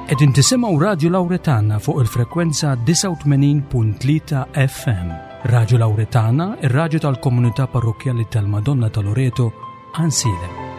Qegħdin tisimgħu Radju Lawretana fuq il-frekwenza 89.3 FM. Radju Lawretana, ir-radju tal-komunità parrokkjali tal-Madonna ta' Loreto, Ansilem.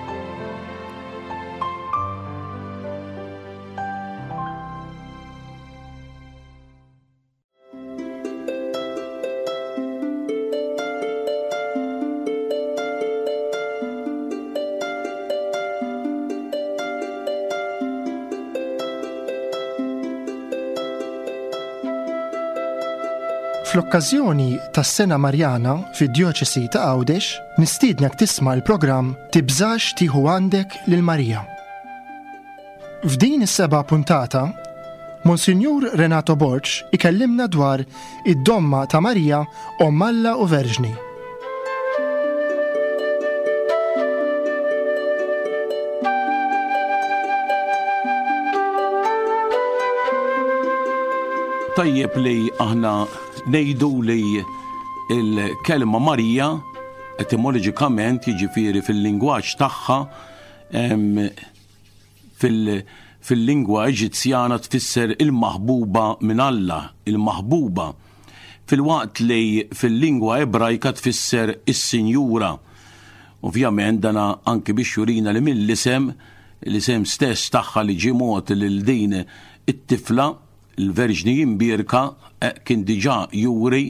Fl-okkażjoni tas-Sena Marjana fid-Djoċesi ta' Għawdex, nistiednek tisma' l-programm Tibżax tieħu għandek lil Marija. F'din is-seba' puntata, Monsinjur Renato Borg ikellimna dwar id-domma ta' Marija Omm Alla u Verġni. Tajjeb li aħna ngħidu li il-kelma Marija etimoloġikament jiġifieri fil-lingwaġġ tagħha Fil-lingwa Eġizzjana tfisser il-maħbuba minn Alla, il-maħbuba, filwaqt li fil-lingwa Ebrajka tfisser is-Sinjura. Ovvjament dana anki biex jurina li mill-isem, l-isem stess tagħha li ġie mogħti lil din it-tifla, Il-Verġni Imbierka kien diġà juri,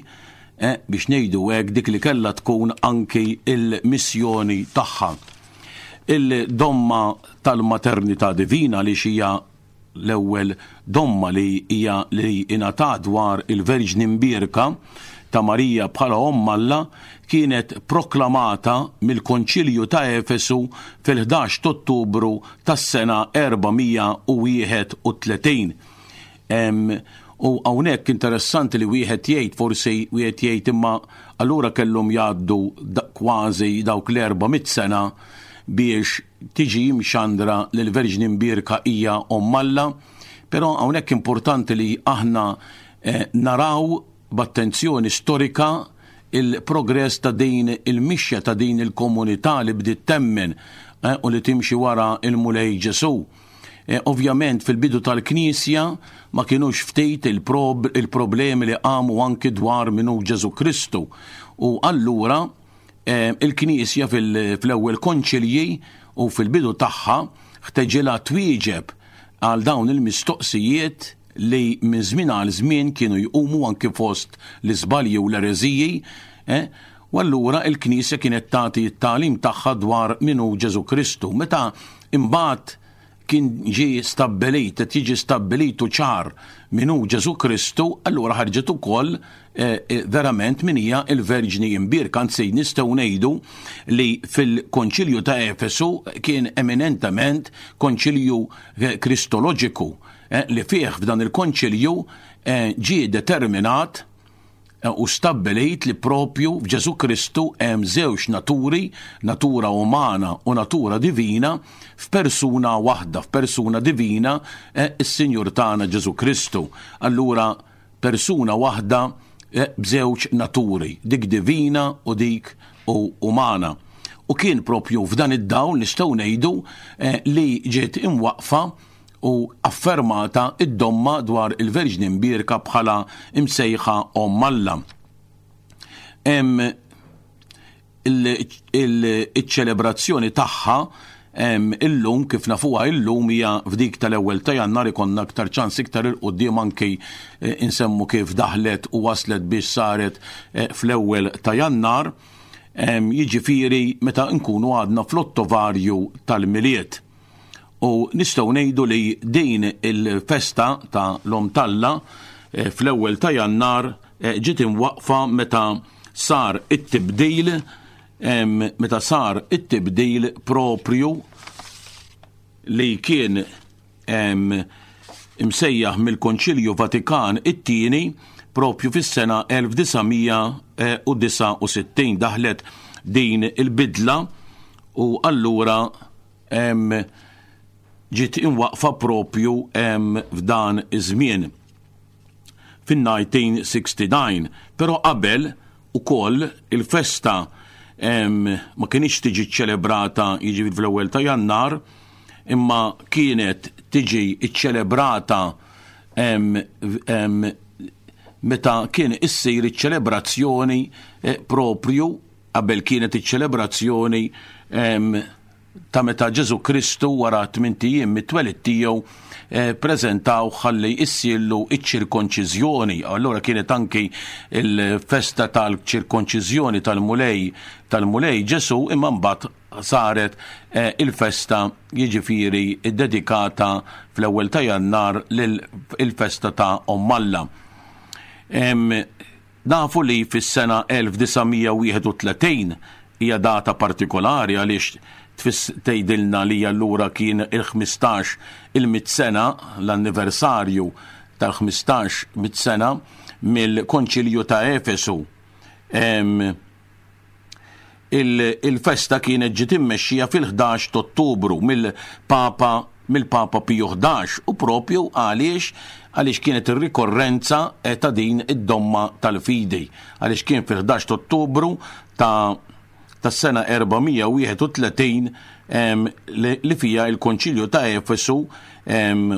biex ngħidu hekk, dik li kellha tkun anki l-missjoni tagħha. Il-domma tal-maternità divina għaliex hija l-ewwel domma li hija li ingħatat dwar il-Verġni Mbierka ta' Marija bħala Omm Alla kienet proklamata mill-Konċilju ta' Efesu fil-11 t'Ottubru tas-sena 431. U hawnhekk interessanti li wieħed jgħid forsi wieħed jgħid imma allura kellhom jgħaddu kważi dawk l-400 sena biex tiġi mxandra li l-Verġni Mbierka hija Omm Alla. Però hawnhekk importanti li aħna eh, naraw b'attenzjoni storika il-progress ta' din il-mixja ta' din il-komunità li bdiet temmen eh, u li timxi wara il-Mulej Ġesù. Eh, ovvjament fil-bidu tal-Knisja ma kienux ftit il-problemi li qamu anki dwar minu Ġesù Kristu. U allura eh, il-Knisja fil-ewwel konċilji u fil-bidu tagħha ħteġilha twieġeb għal dawn il-mistoqsijiet li minn żmien għal żmien kienu jqumu anki fost l-iżbalji u l-ereżiji, eh, u allura il-Knisja kienet tagħti t-tagħlim tagħha dwar min hu Ġesù Kristu. Meta imbagħad kien ġie stabbilit, qed jiġi stabbilit u ċar min hu Ġesù Kristu, allura ħarġet ukoll eh, eh, verament min hija il-Verġni Imbierka, anzi nistgħu ngħidu li fil-Konċilju ta' Efesu kien eminentement konċilju eh, kristoloġiku Eh, li fih f'dan il-konċilju eh, ġie determinat eh, u stabbilit li propju f'Ġesu Kristu hemm żewġ naturi, natura umana u natura divina, f'persuna waħda, f'persuna divina, is-Sinjur tagħna Ġesu Kristu. Allura persuna waħda b'żewġ naturi, dik divina u dik u umana. U kien propju f'dan id-dawl nistgħu ngħidu li ġiet imwaqfa u affermata d-domma dwar il-Verġni Mbierka bħala msejħa Omm Alla. Hemm iċ-ċelebrazzjoni tagħha illum kif nafuha illum hija f'dik tal-ewwel ta' Jannar ikollna aktar ċans iktar il quddiem anki eh, insemmu kif daħlet u waslet biex saret eh, fl-ewwel ta' Jannar, jiġifieri meta nkunu għadna fl-ottovarju tal-Milied. U nistgħu ngħidu li din il-festa ta' l-Omm t'Alla eh, fl-ewwel ta' Jannar eh, ġiet imwaqqfa meta sar it-tibdil meta sar it-tibdil proprju li kien imsejjaħ mill-Konċilju Vatikan it-tieni propju fis-sena 1969 daħlet din il-bidla u allura ġiet imwaqqfa propju f'dan iż-żmien fin-1969. Però qabel ukoll il-festa ma kinitx tiġi ċċelebrata jiġifieri fl-ewwel ta' Jannar. imma kienet tiġi ċċelebrata meta kien issir iċ-ċelebrazzjoni eh, propju qabel kienet iċ-ċelebrazzjoni ta' meta Ġesù Kristu wara tmint ijiem mit-twelid tiegħu eh, preżentaw ħalli issirlu iċ-ċirkonċiżjoni. Allura kienet anki il-festa tal-ċirkonċiżjoni tal-Mulej tal-Mulej Ġesù imma mbagħad saret eh, il-festa jiġifieri ddedikata fl-ewwel ta' Jannar lil-festa ta' Omm Alla. Nafu li fis-sena 1931 hija data partikolari għaliex tfiss tgħidilna li allura kien il-15 il-mitt sena, l-anniversarju tal-15 mitt sena mill-Konċilju ta' Efesu. Il-festa kienet ġiet immexxija fil-11 t'Ottubru mill-Papa mill-Papa Piju 11 u propju għaliex għaliex kienet ir-rikorrenza eh, ta' din id-domma tal-fidi għaliex kien fil-11 t'Ottubru ta' tas-sena 431 li fija il-Konċilju ta' Efesu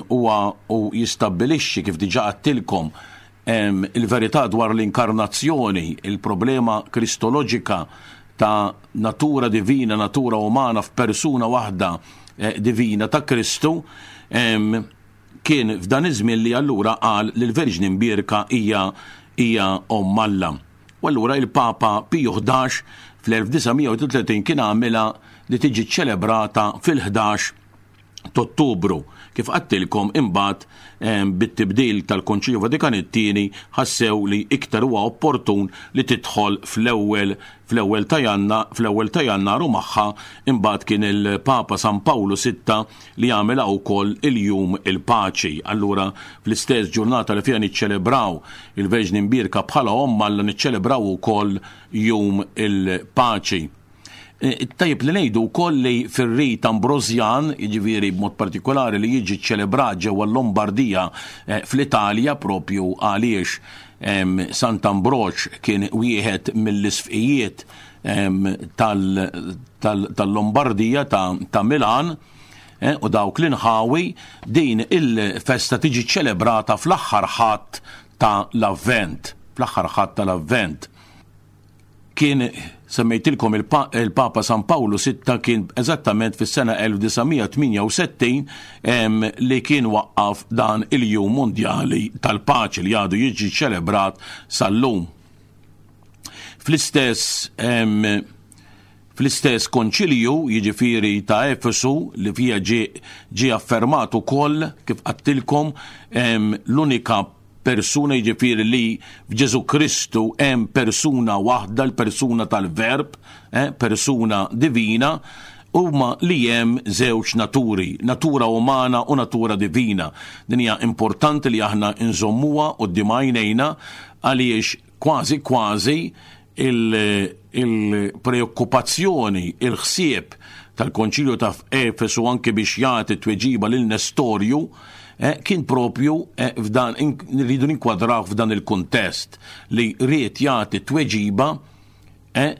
huwa u jistabbilixxi kif diġà għattilkom il-verità dwar l-inkarnazzjoni, il-problema kristoloġika ta' natura divina, natura umana f'persuna waħda eh, divina ta' Kristu, kien f'dan iż-żmien li allura qal li l-Verġni Mbierka hija hija Omm Alla. U allura il-Papa Piju 11 fl-1931 kien għamilha li tiġi ċelebrata fil-11 t'Ottubru. Kif għadtilkom imbagħad bit-tibdil tal-Konċilju Vatikan it-Tieni ħassew li iktar huwa opportun li tidħol fl-ewwel fl-ewwel ta' Janna fl-ewwel ta' Jannar u magħha imbagħad kien il-Papa San Pawlu Sitta li għamilha wkoll il-Jum il-Paċi. Allura fl-istess ġurnata li fiha niċċelebraw il-Verġni Mbierka bħala Omm Alla niċċelebraw ukoll Jum il-Paċi. Eh, tajjeb li ngħidu wkoll li fir-rit Ambrosjan, jiġifieri b'mod partikolari li jiġi ċelebrat ġewwa l-Lombardija eh, fl-Italja propju għaliex Sant'Ambroġ kien wieħed mill-isfqijiet tal-Lombardija ta' Milan eh, u dawk l-inħawi din il-festa tiġi ċelebrata fl-aħħar ħadd ta' l-Avvent, fl-aħħar ħadd tal-Avvent. Kien, semmejtilkom il-Papa San Pawlu Sitta kien eżattament fis-sena 1968 li kien waqqaf dan il-Jum Mondjali tal-Paċi li għadu jiġi ċelebrat sal-lum. Fl-istess fl-istess konċilju, jiġifieri ta' Efesu, li fija ġie affermat ukoll kif għadtilkom l-unika persuna jiġifieri li f'Ġesù Kristu hemm persuna waħda, l-persuna tal-Verb, eh, persuna divina, huma li hemm żewġ naturi, natura umana u natura divina. Din hija importanti li aħna nżommuha quddiem għajnejna għaliex kważi kważi il-preokkupazzjoni, il-ħsieb tal-Konċilju ta' Efesu anke biex jagħti tweġiba lil Nestorju, eh, kien propju eh, f'dan nridu ninkwadraw f'dan il-kuntest li ried jagħti tweġiba eh,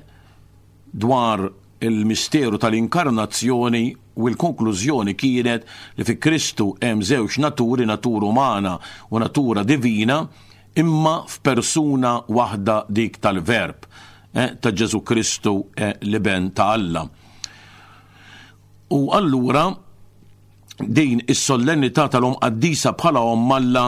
dwar il-misteru tal-inkarnazzjoni u l-konklużjoni kienet li fi Kristu hemm żewġ naturi, natura umana u natura divina, imma f'persuna waħda dik tal-Verb eh, ta' Ġesu Kristu eh, l-Iben ta' Alla. U allura Din is-sollennità tal-Omm Qaddisa bħala Omm Alla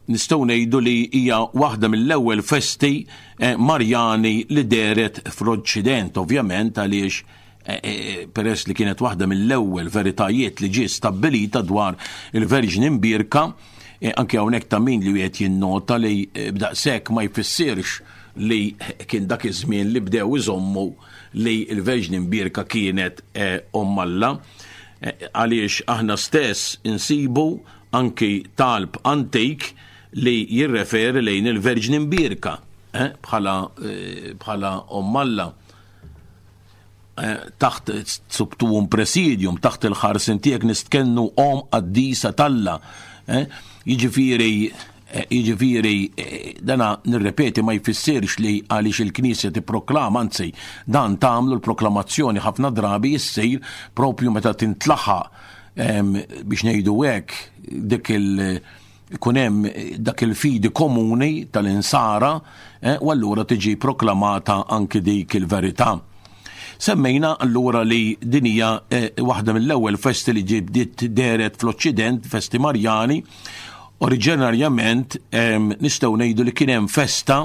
nistgħu ngħidu li hija waħda mill-ewwel festi eh, Marjani li dehret fl-Oċċident, ovvjament għaliex eh, eh, peress li kienet waħda mill-ewwel veritajiet li ġie stabbilita dwar il-Verġni Mbierka, anke hawnhekk ta' min li wieħed jinnota li b'daqshekk ma jfissirx li kien dak iż-żmien li bdew iżommu li l-Verġni Mbierka kienet Omm Alla. Eh, għaliex aħna stess insibu anki talb antik li jirreferi lejn il-Verġni Mbierka eh, bħala eh, bħala Omm Alla taħt subtuum presidium, taħt il-ħarsin tiegħek nistkennu om qaddisa talla. Jiġifieri Eh, jiġifieri eh, dana nirrepeti ma jfissirx li għaliex il-Knisja tipproklama, anzi dan tagħmlu l-proklamazzjoni ħafna drabi issir propju meta tintlaħaq biex ngħidu hekk dik il- ikun hemm dak il-fidi komuni tal-insara eh, u allura tiġi proklamata anki dik il-verità. Semmejna allura li din hija eh, waħda mill-ewwel festi li ġibdiet deret fl-Oċċident, festi Marjani, Oriġinarjament nistgħu ngħidu li kien hemm festa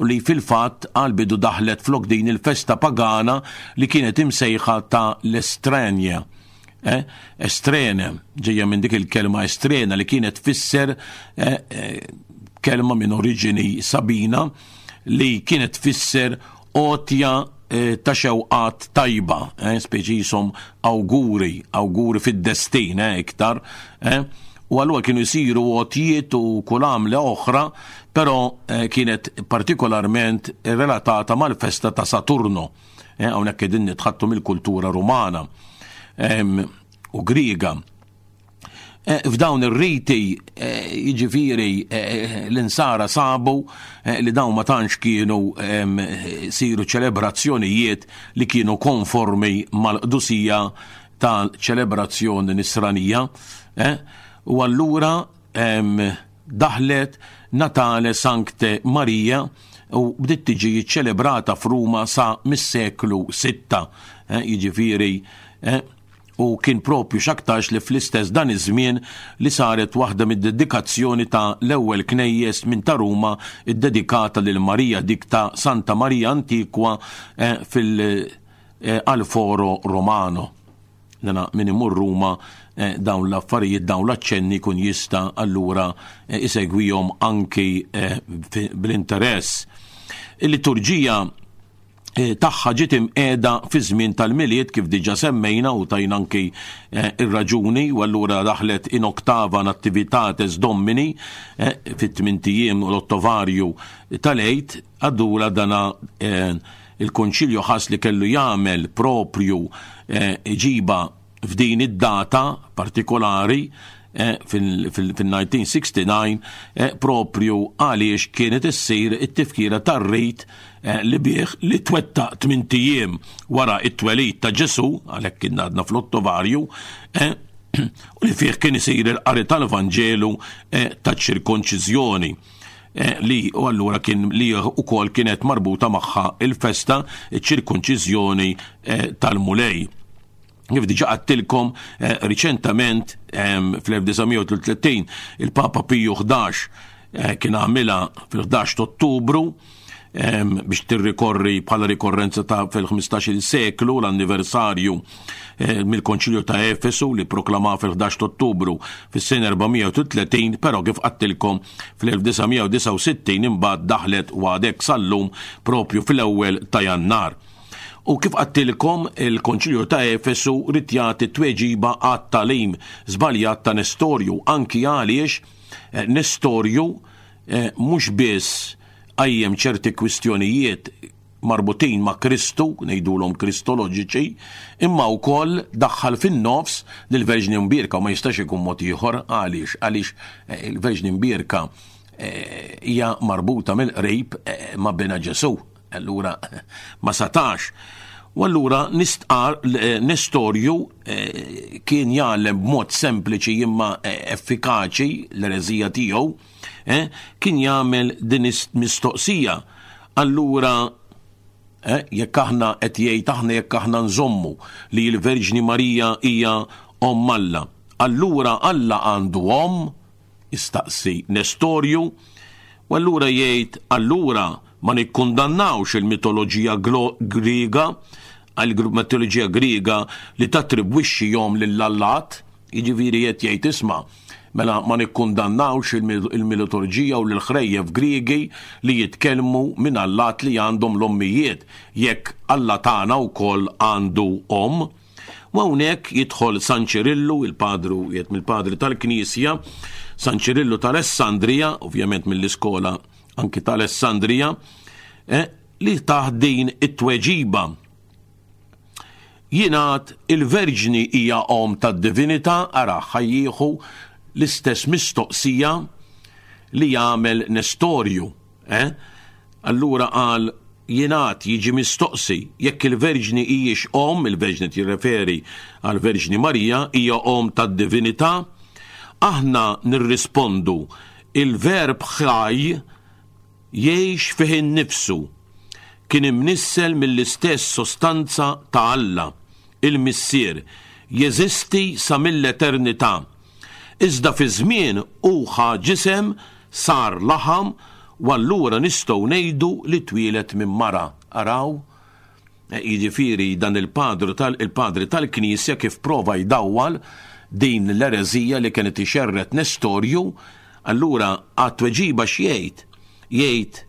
li fil-fatt għal bidu daħlet flok din il-festa pagana li kienet imsejħa ta' l-Estrenja. Eh, estrene, ġejja minn dik il-kelma estrena li kienet tfisser eh, eh, kelma minn oriġini Sabina li kienet tfisser għotja ta' xewqat tajba, speċi jisom awguri, awguri fid-destin iktar, u allura kienu jsiru għotjiet u kull għamla oħra, però kienet partikolarment relatata mal-festa ta' Saturno. Eh, hawnhekk qegħdin nitħattu mill-kultura Rumana u Griega. Eh, f'dawn ir-riti eh, jiġifieri l-insara sabu li dawn ma tantx kienu siru ċelebrazzjonijiet li kienu konformi mal-qdusija tal-ċelebrazzjoni nisranija. U allura daħlet Natale Sancte Maria u bdiet tiġi ċċelebrata f'Ruma sa mis-seklu sitta, jiġifieri u kien propju x'aktarx li fl-istess dan iż-żmien li saret waħda mid-dedikazzjoni ta' l-ewwel knejjes minn ta' Ruma ddedikata lil Marija, dik ta' Santa Maria Antiqua fil al Foro Romano. Dana min imur Ruma eh, dawn l-affarijiet, dawn l-aċċenni kun jista' allura eh, isegwihom anki eh, bl-interess. Il-liturġija tagħha ġiet imqiegħda fi żmien tal-Milied kif diġà semmejna u tajna anki ir-raġuni u allura daħlet in octava nativitates Domini fit-tmint ijiem u l-ottovarju tal-Għid għaddula dana Il-Konċilju ħass li kellu jagħmel proprju ġiba f'din id-data partikolari fil-1969 proprju għaliex kienet issir it-tifkira tar-rit li bih li twettaq tmint ijiem wara t-twelid ta' Ġesù, għalhekk kien għadna fl-Ottovarju, u li fih kien isir il-qari tal-Vanġelu taċ-ċirkonċiżjoni. Eh, li u allura kien li ukoll kienet marbuta magħha il-festa ċ-ċirkonċiżjoni eh, tal-Mulej. Kif diġa għattilkom eh, riċentament fl-1933 il-Papa Piju 11 kien għamilha fil-11 Ottubru biex tirrikorri bħala rikorrenza ta' fil-15 seklu l-anniversarju eh, mill-Konċilju ta' Efesu li proklama fil-11 Ottubru fis-sena 430, però kif qattilkom fl-1969 imbagħad daħlet u għadek sal-lum propju fl-ewwel ta' Jannar. U kif qattilkom il-Konċilju ta' Efesu rid jagħti tweġiba għat-talim żbaljat ta' Nestorju anki għaliex eh, Nestorju eh, mhux biss qajjem ċerti kwistjonijiet marbutin ma' Kristu, ngħidulhom Kristoloġiċi, imma wkoll daħħal fin-nofs lill-Verġni Mbierka u ma jistax ikun mod ieħor għaliex għaliex eh, il-Verġni Mbierka eh, hija marbuta mill-qrib eh, ma' Binha Ġesù. Allura ma satax. U allura nistqar Nestorju kien jgħallem b'mod sempliċi imma effikaċi l-ereżija tiegħu eh, kien jagħmel din mistoqsija. Allura eh, jekk aħna qed jgħid aħna jekk aħna nżommu li l-Verġni Marija hija omm Alla, allura Alla għandu omm? Jistaqsi Nestorju. U allura jgħid allura ma nikkundannawx il-mitoloġija Griega, għal-mitoloġija Griega li tattribwixxi jom lill-allat, Jiġifieri qed jgħid isma' mela ma nikkundannawx il-militurġija u l-ħrejjef Griegi li jitkellmu minn allat li għandhom l-ommijiet, jekk Alla tagħna wkoll għandu omm. U hawnhekk jidħol San Ċirillu, il-padru wieħed mill-padri tal-Knisja, San Ċirillu ta' Alessandrija, ovvjament mill-iskola anki ta' Alessandrija, eh, li tah din it-tweġiba. Jingħad il-Verġni hija omm tad-divinità, ara ħa jieħu l-istess mistoqsija li jagħmel Nestorju, eh? Allura qal jingħad jiġi mistoqsi jekk il-Verġni hijiex omm, il-Verġni tirreferi għall-Verġni Marija, hija omm tad-divinità, aħna nirrispondu il-Verb ħaj jgħix fih innifsu, kien imnissel mill-istess sostanza ta' Alla, il-Missier, jeżisti sa mill-eternità. Iżda fiż-żmien hu ħa ġisem, sar laħam, u allura nistgħu ngħidu li twieled minn mara. Araw, jiġifieri dan il-padru tal il-padri tal-Knisja kif prova jdawwal din l-ereżija li kien qed ixerred Nestorju, allura għat-tweġiba x'jgħid? Jgħid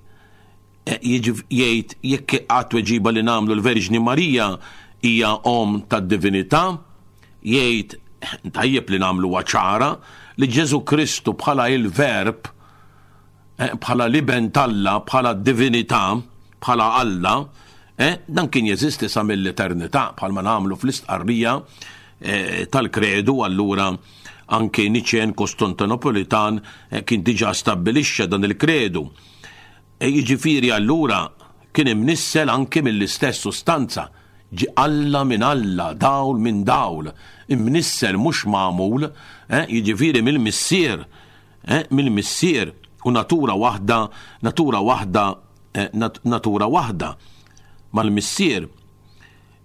jgħid jekk għat-tweġiba li nagħmlu l-Verġni Marija hija omm tad-divinità, jgħid tajjeb li nagħmluha ċara li Ġesù Kristu bħala il-Verb, eh, bħala l-Iben t'Alla, bħala d-divinità, bħala Alla, eh, dan kien jeżisti sa mill-eternità bħalma nagħmlu fl-istqarrija eh, tal-kredu allura anke Niċen Kostantinopolitan kien diġà stabbilixxa dan il-kredu. E jiġifieri allura kien imnissel anki mill-istess sustanza, ġie Alla minn Alla, dawl minn dawl, imnissel mhux magħmul, eh, jiġifieri mill-Missier, eh, mill-Missier, u natura waħda, natura waħda, eh, nat natura waħda mal-Missier.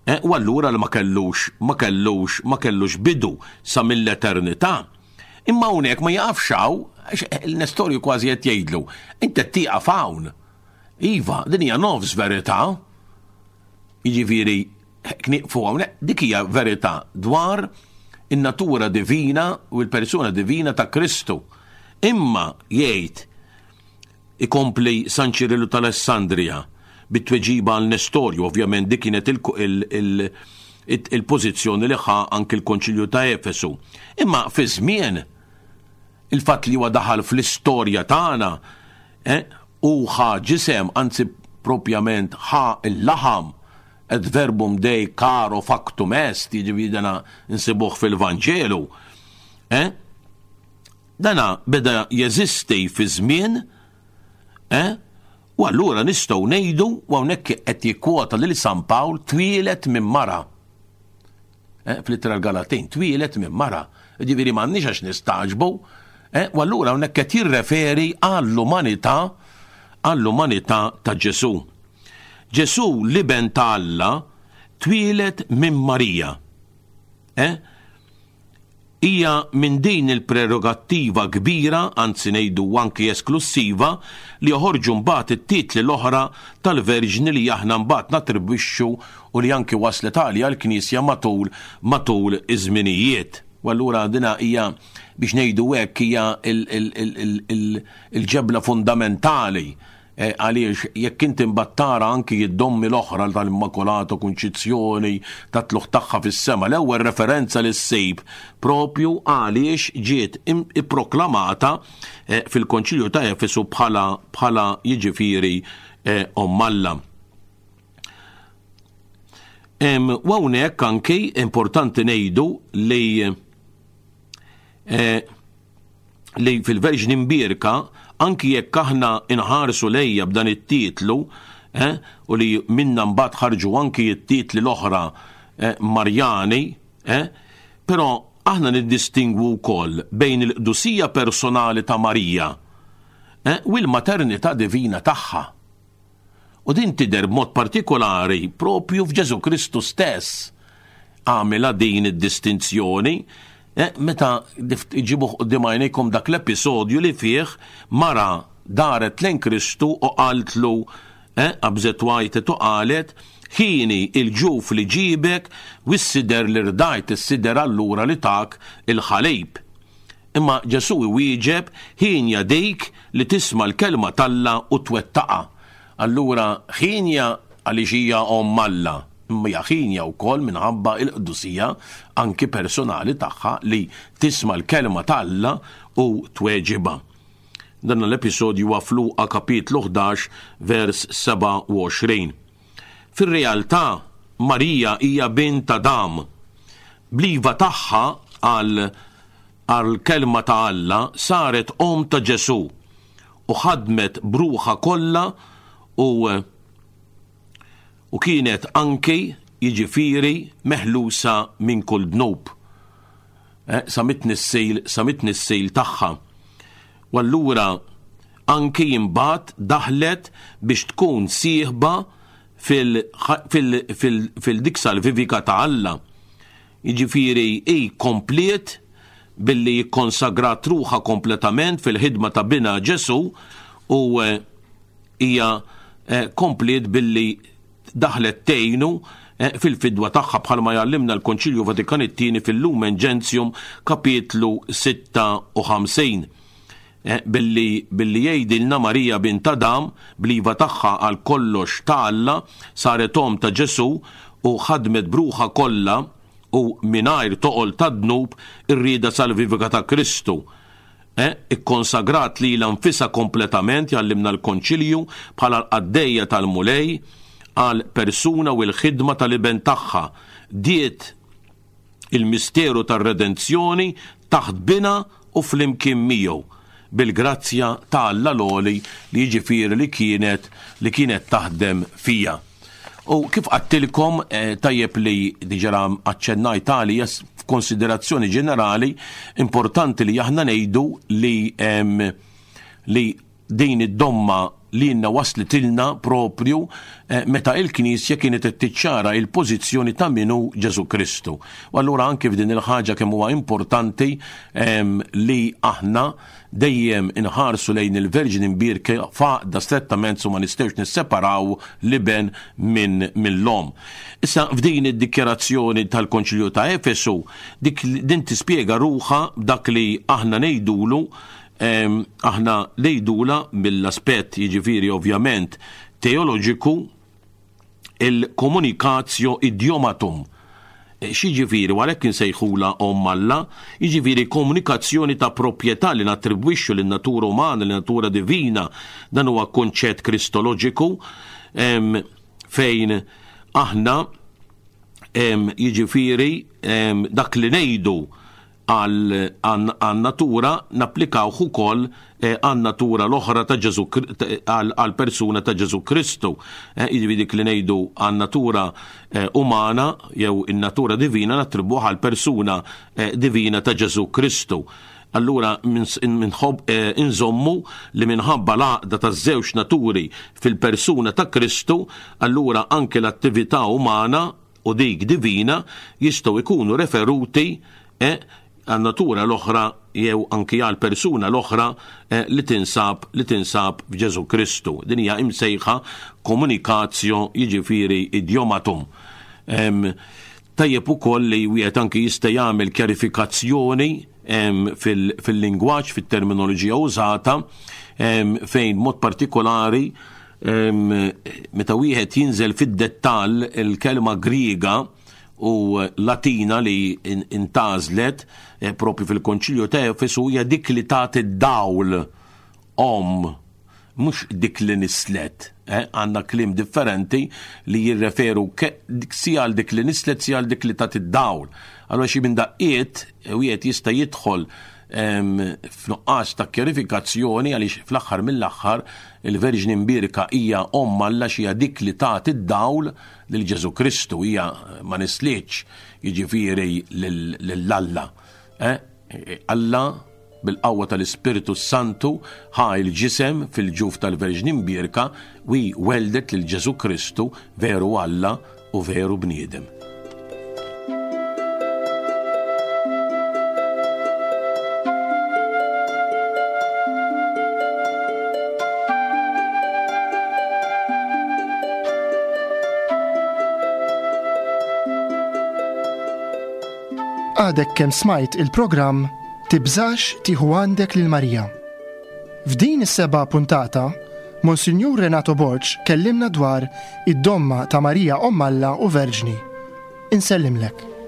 Eh, u allura li ma kellux, ma kellux, ma kellux bidu sa mill-eternità. Imma hawnhekk ma jaqafx hawn, għax il-Nestorju kważi qed jgħidlu, int qed tieqaf hawn. Iva, din hija nofs verità. Jiġifieri nieqfu hawnhekk, dik hija verità dwar in-natura divina u l-persuna divina ta' Kristu. Imma jgħid Ikompli San Ċirillu t'Alessandrija bit-tweġiba għal Nestorju, ovvjament dik kienet il-pożizzjoni li ħa anki l-Konċilju ta' Efesu. Imma fi żmien il-fatt li huwa daħal fl-istorja tagħna eh, u ħa ġisem, anzi propjament ħa l-laħam, et verbum dei caro factum est, jiġifieri dana nsibuh fil-Vanġelu, eh? Dana beda jeżisti fi żmien, eh, u allura nistgħu ngħidu, u hawnhekk qed jikkwota lil San Pawl, twieled minn mara. Eh, fl-ittra l-Galatin, twieled minn mara. Ġifieri m'għandniex għax nistagħġbu, eh, u allura hawnhekk qed jirreferi għall-umanità għall-umanità ta' Ġesù. Ġesù l-iben ta' Alla twieled minn Marija. Eh? Hija minn din il-prerogattiva kbira, anzi ngħidu anki esklussiva, li joħorġu mbagħad it-titli l-oħra tal-Verġni li aħna mbagħad nattribwixxu u li anki waslet għaliha l-Knisja matul matul iż-żminijiet. U allura dina hija biex ngħidu hekk hija il-ġebla fundamentali Għaliex jekk inti mbagħad tara anki d-dommi l-oħra tal-Immakulata Kunċizzjoni, tat-tlugħ tagħha fis-sema, l-ewwel referenza li ssib propju għaliex ġiet ipproklamata fil-Konċilju ta' Efesu bħala bħala jiġifieri Omm Alla. U hawnhekk anki importanti ngħidu li li fil-Verġni Mbierka, anki jekk aħna nħarsu lejha b'dan it-titlu, eh, u li minna mbagħad ħarġu anki t-titli l-oħra eh, Marjani, eh, però aħna niddistingwu wkoll bejn il-qdusija personali ta' Marija eh, u l-maternità divina tagħha. U din tidher b'mod partikolari propju f'Ġesù Kristu stess. Għamilha din id-distinzjoni eh, meta ġibuh quddiem għajnejkom dak l-episodju li fih mara daret lejn Kristu u qaltlu eh, qabżet wajtet u qalet ħini il-ġuf li ġibek u s-sider li rdajt is-sider allura li tak il-ħalib. Imma Ġesù iwieġeb, Hienja dik li tisma' l-kelma t'Alla u twettaqha. Allura, hienja għaliex hija Omm Alla, imma hija hienja wkoll minħabba l-qdusija anki personali tagħha li tisma' l-kelma t'Alla u tweġibha. Dan l-episodju huwa f'Luqa kapitlu 11 vers 27. Fir-realtà, Marija hija bint Adam. Bl-iva tagħha għal għall-Kelma ta' Alla saret omm ta' Ġesù u ħadmet b'ruħha kollha u. U kienet anki, jiġifieri, meħlusa minn kull dnub. Eh, sa mit-tnissil, sa mit-tnissil tagħha. U allura anki imbagħad daħlet biex tkun sieħba fil-dik salvivika ta' Alla. Jiġifieri hi kompliet billi kkonsagrat ruħha kompletament fil-ħidma ta' binha Ġesù u eh, hija eh, kompliet billi daħlet tgħinu eh, fil-fidwa tagħha bħalma jgħallimna l-Konċilju Vatikan it-Tieni fil-Lumen Gentium kapitlu 56. Eh, billi billi jgħidilna Marija bint Adam bl-iva tagħha għal kollox ta' Alla saret omm ta' Ġesù u ħadmet b'ruħha kollha u mingħajr toqol ta' dnub ir-rieda salvivika ta' Kristu. Eh, ikkonsagrat lilha nfisha kompletament, jgħallimna l-Konċilju, bħala l-qaddejja tal-Mulej għal persuna u l-ħidma tal-Iben tagħha. Diet il-misteru tar-redenzjoni taħt binha u flimkien miegħu, bil-grazzja ta' Alla l-Għoli li jiġifieri li kienet li kienet taħdem fija. U kif għattilkom eh, tajjeb li diġà aċċennajt għalija f'konsiderazzjoni ġenerali importanti li aħna ngħidu li li din id-domma li jenna waslitilna propju eh, meta il-Knisja kienet qed tiċċara il-pożizzjoni ta' minu Ġesu Kristu. U allura anke f'din il-ħaġa kemm huwa importanti li aħna Dejjem inħarsu lejn il-Verġni Mbierka f'għaqda strettament su ma nistgħux nisseparaw l-Iben minn mill-Omm. Issa f'din id-dikjarazzjoni tal-Konċilju ta' Efesu, dik din tispjega ruħha b'dak li aħna ngħidulu aħna ngħidulha mill-aspett jiġifieri ovvjament teoloġiku il-communicatio idiomatum. Eh, x'jiġifieri u għalhekk insejħulha Omm Alla, jiġifieri komunikazzjoni ta' proprjetà li nattribwixxu lin-natura umana, lin-natura divina, dan huwa kunċett kristoloġiku fejn aħna jiġifieri dak li ngħidu għan-natura napplikawh ukoll eh, għan-natura l-oħra ta' Ġesu għall-persuna ta' Ġesu Kristu. Eh, jiġifieri dik li ngħidu għan-natura eh, umana jew in-natura divina nattribwuh għall-persuna divina ta' Ġesu Kristu. Allura inżommu li minħabba l-għaqda taż-żewġ naturi fil-persuna ta' Kristu, allura anke l-attività umana u dik divina jistgħu jkunu referuti eh, għan-natura l-oħra jew anki għal persuna l-oħra eh, li tinsab li tinsab f'Ġesu Kristu. Din hija imsejħa communicatio jiġifieri idiomatum. Tajjeb ukoll li wieħed anki jista' jagħmel kjarifikazzjoni fil-lingwaġġ, fit-terminoloġija użata, fejn mod partikolari Meta wieħed jinżel fid-dettall il-kelma Griega u Latina li intgħażlet eh, propju fil-Konċilju ta' Efesu hija dik li tagħti dawl om mhux dik li nislet. Eh, għandna kliem differenti li jirreferu si għal dik li nislet si għal dik li tagħti dawl. Allora xi minn daqqiet eh, wieħed jista' jidħol f'nuqqas ta' kjarifikazzjoni għaliex fl-aħħar mill-aħħar il-Verġni Mbierka hija Omm Alla x'hija dik li tagħti d-dawl lil Ġesù Kristu, hija ma nislitx jiġifieri lil Alla. Eh? Alla bil-qawwa tal-Ispirtu Santu ħa il-ġisem fil-ġuf tal-Verġni Mbierka u weldet lil Ġesù Kristu veru Alla u veru bniedem. Għadek kemm smajt il-programm Tibżax tieħu għandek lil Marija. F'din is-seba' puntata, Monsinjur Renato Borg kellimna dwar id-domma ta' Marija Omm Alla u Verġni. Insellimlek.